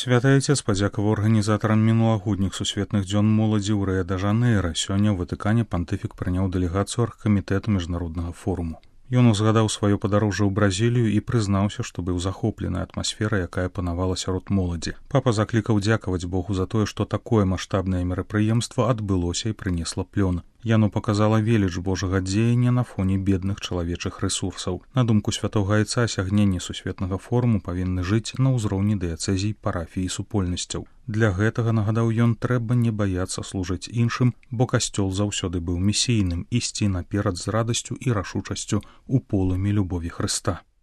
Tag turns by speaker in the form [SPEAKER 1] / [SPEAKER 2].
[SPEAKER 1] Святы Отец падзякаваў арганізатарам мінулагодніх сусветных дзён моладзі ў Рыа-дэ-Жанэйра. Сёння ў Ватыкане пантыфік прыняў дэлегацыю аргкамітэта міжнароднага форуму. Ён узгадаў сваё падарожжа ў Бразілію і прызнаўся, што быў захоплены атмасферай, якая панавала сярод моладзі. Папа заклікаў дзякаваць Богу за тое, што такое маштабнае мерапрыемства адбылося і прынесла плён. Яно паказала веліч Божага дзеяння на фоне бедных чалавечых рэсурсаў. На думку святога Айца, асягненні сусветнага форуму павінны жыць на ўзроўні дыяцэзій, парафій і супольнасцяў. Для гэтага, нагадаў ён, трэба не баяцца служыць іншым, бо касцёл заўсёды быў місійным, ісці наперад з радасцю і рашучасцю у полымі любові Хрыста.